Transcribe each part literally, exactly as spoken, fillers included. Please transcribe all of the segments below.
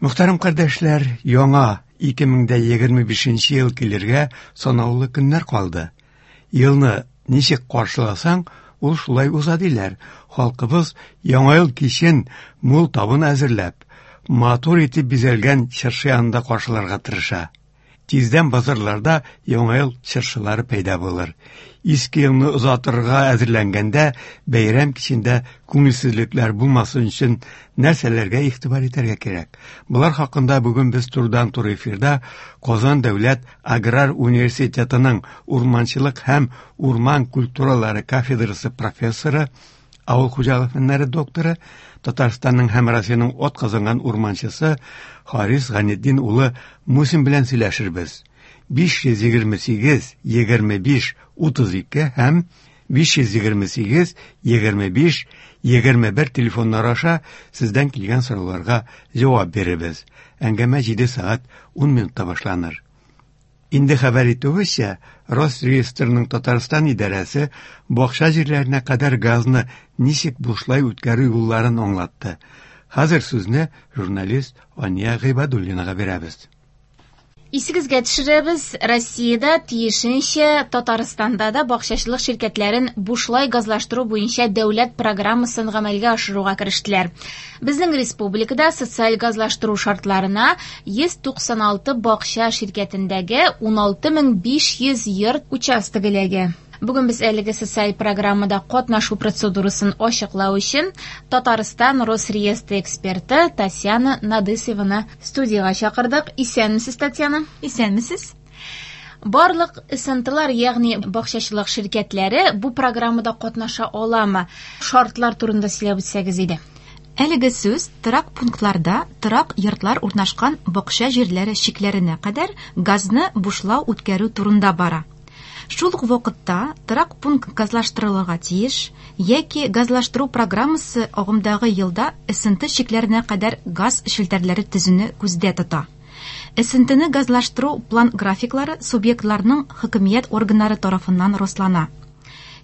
Мөхтәрәм кардәшләр, яңа ике мең дә егерме бишенче ел килергә санаулы көннәр калды. Елны ничек каршыласаң, ул шулай уза диләр. Халкыбыз яңа ел кичен мул табын әзерләп, матур итеп бизәлгән чыршы янында каршыларга тырыша. Тиздән базарларда яңа ел чыршылары пәйда булыр. Иске елны озатырга әзерләнгәндә бәйрәм кичендә күңелсезлекләр булмасын өчен нәрсәләргә игътибар итәргә кирәк? Болар хакында бүген без турыдан-туры эфирда Казан дәүләт аграр университетының урманчылык һәм урман культуралары кафедрасы профессоры, авыл хуҗалык фәннәре докторы, Татарстанның һәм Россиянең атказанган урманчысы Харис Ганетдин улы Мусин белән сөйләшербез. биш йөз егерме сигез, егерме биш, утыз ике һәм биш йөз егерме сигез, егерме биш, егерме бер телефоннар аша сездән килгән сорауларга җавап бирербез. Әңгәмә җиде сәгать ун минутта башланыр. Инде хәбәр итүебезчә, Росреестрның Татарстан идарәсе бакча җирләренә кадәр газны ничек бушлай үткәрү юлларын аңлатты. Хәзер сүзне журналист Ания Гыйбадуллинага бирәбез. Исегезгә төшерәбез, Россиядә тиешенчә Татарстанда да бакчачылык ширкәтләрен бушлай газлаштыру буенча дәүләт программасын гамәлгә ашыруга керештеләр. Безнең республикада социаль газлаштыру шартларына йөз туксан алты бакча ширкәтендәге ун алты мең биш йөз йорт участогы эләгә. Бүген без әлеге социаль программада катнашу процедурасын ачыклау өчен Татарстан Росреестры эксперты Татьяна Надысеваны студиягә чакырдык. Исәнмесез, Татьяна? Исәнмесез. Барлык эс эн тэ-лар, ягъни бакчачылык ширкәтләре бу программада катнаша аламы? Шартлар турында сөйләп үтсәгез иде. Әлеге сүз торак пунктларда торак йортлар урнашкан бакча җирләре чикләренә кадәр газны бушлау үткәрү турында бара. Шул ук вакытта торак пункт газлаштырылырга тиеш яки газлаштыру программасы агымдагы елда эс эн тэ чикләренә кадәр газ челтәрләре төзүне күздә тота. Эс эн тэ-не газлаштыру план графиклары субъектларның хөкүмәт органнары тарафыннан раслана.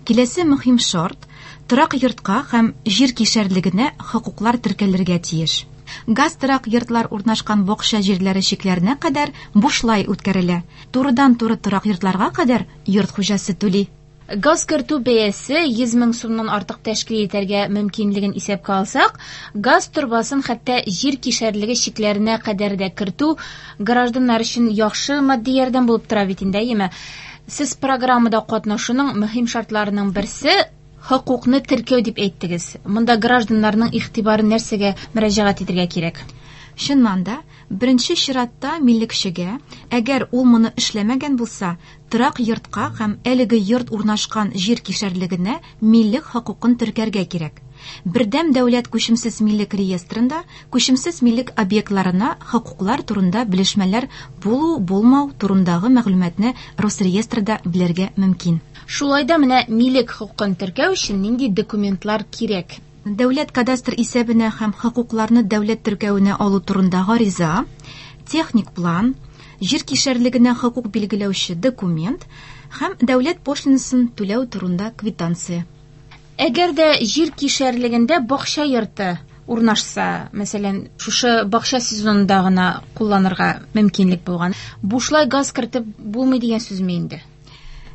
Киләсе мөһим шарт торак йортка һәм җир кишәрлегенә хокуклар теркәлергә тиеш. Газ торак йортлар урнашкан бакча җирләре чикләренә кадәр бушлай үткәрелә. Турыдан-туры торак йортларга кадәр йорт хуҗасы түли. Газ кертү бәясе йөз мең сумнан артык тәшкил итәргә мөмкинлеген исәпкә алсак, газ торбасын хәтта җир кишәрлеге чикләренә кадәр дә кертү гражданнар өчен яхшы матди ярдәм булып тора бит инде, әйеме? Сез программада катнашуның мөһим шартларының берсе хокукны теркәү дип әйттегез. Монда гражданнарның игътибарын нәрсәгә мөрәҗәгать итәргә кирәк? Чыннан да, беренче чиратта миллекчегә, әгәр ул моны эшләмәгән булса, торак йортка һәм әлеге йорт урнашкан җир кишәрлегенә миллек хокукын теркәргә кирәк. Бердәм дәүләт күчемсез миллек реестрында күчемсез миллек объектларына хокуклар турында белешмәләр булу-булмау турындагы мәгълүматны Росреестрда белергә мөмкин. Шулай да менә милек хокукын теркәү өчен нинди документлар кирәк? Дәүләт кадастр исәбенә һәм хокукларны дәүләт теркәвенә алу турында гариза, техник план, җир кишәрлегенә хокук билгеләүче документ һәм дәүләт пошлинасын түләү турында квитанция. Әгәр дә җир кишәрлегендә бакча йорты урнашса, мәсәлән, шушы бакча сезонында гына кулланырга мөмкинлек булган, бушлай газ кертеп булмый дигән сүзме инде?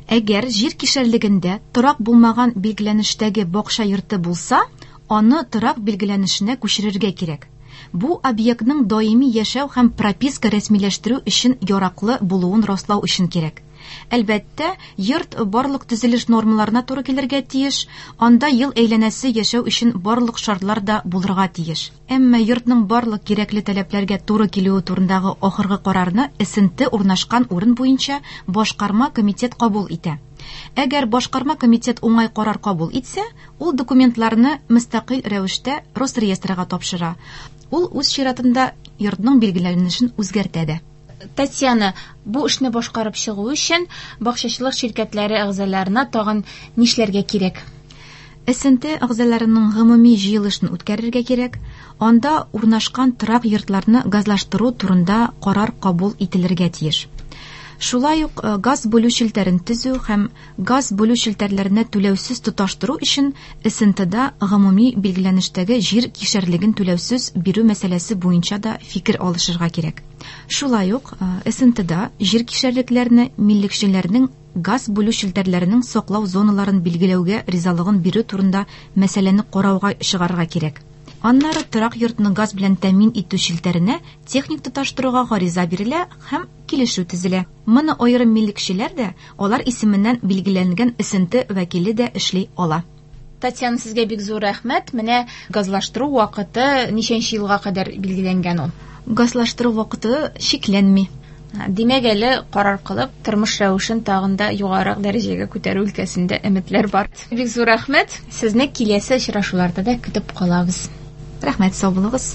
Әгәр җир кишәрлегендә торак булмаган билгеләнештәге бакча йорты булса, аны торак билгеләнешенә күчерергә кирәк. Бу объектның даими яшәү һәм прописка рәсмиләштерү өчен яраклы булуын раслау өчен кирәк. Әлбәттә, йорт барлык төзелеш нормаларына туры килергә тиеш, анда ел әйләнәсе яшәү өчен барлык шартлар да булырга тиеш. Әмма йортның барлык кирәкле таләпләргә туры килүе турындагы ахыргы карарны эс эн тэ урнашкан урын буенча башкарма комитет кабул итә. Әгәр башкарма комитет уңай карар кабул итсә, ул документларны мөстәкыйль рәвештә Росреестрга тапшыра. Ул үз чиратында йортның билгеләнешен үзгәртә дә. Татьяна, бу эшне башкарып чыгу өчен бакчачылык ширкәтләре әгъзаларына тагын нишләргә кирәк? Эс эн тэ әгъзаларының гомуми җыелышын үткәрергә кирәк. Анда урнашкан торак йортларны газлаштыру турында карар кабул ителергә тиеш. Шулай ук газ бүлү челтәрен төзү һәм газ бүлү челтәрләренә түләүсез тоташтыру өчен СНТда гомуми билгеләнештәге җир кишәрлеген түләүсез бирү мәсьәләсе буенча да фикер алышырга кирәк. Шулай ук СНТда җир кишәрлекләрне миллекчеләрнең газ бүлү челтәрләренең саклау зоналарын билгеләүгә ризалыгын бирү турында мәсьәләне карауга чыгарырга кирәк. Аннары торак йортны газ белән тәэмин итү челтәренә техник тоташтыруга гариза бирелә һәм килешү төзелә. Моны аерым миллекчеләр дә, алар исеменнән билгеләнгән СНТ вәкиле дә эшли ала. Татьяна, сезгә бик зур рәхмәт. Менә газлаштыру вакыты ничәнче елга кадәр билгеләнгән ул? Газлаштыру вакыты чикләнми. Димәк, әле карар кылып, тормыш рәвешен тагын да югарырак дәрәҗәгә күтәрү өлкәсендә өметләр бар. Бик зур рәхмәт. Сезне киләсе очрашуларда да көтеп калабыз. Рәхмәт, сау булыгыз.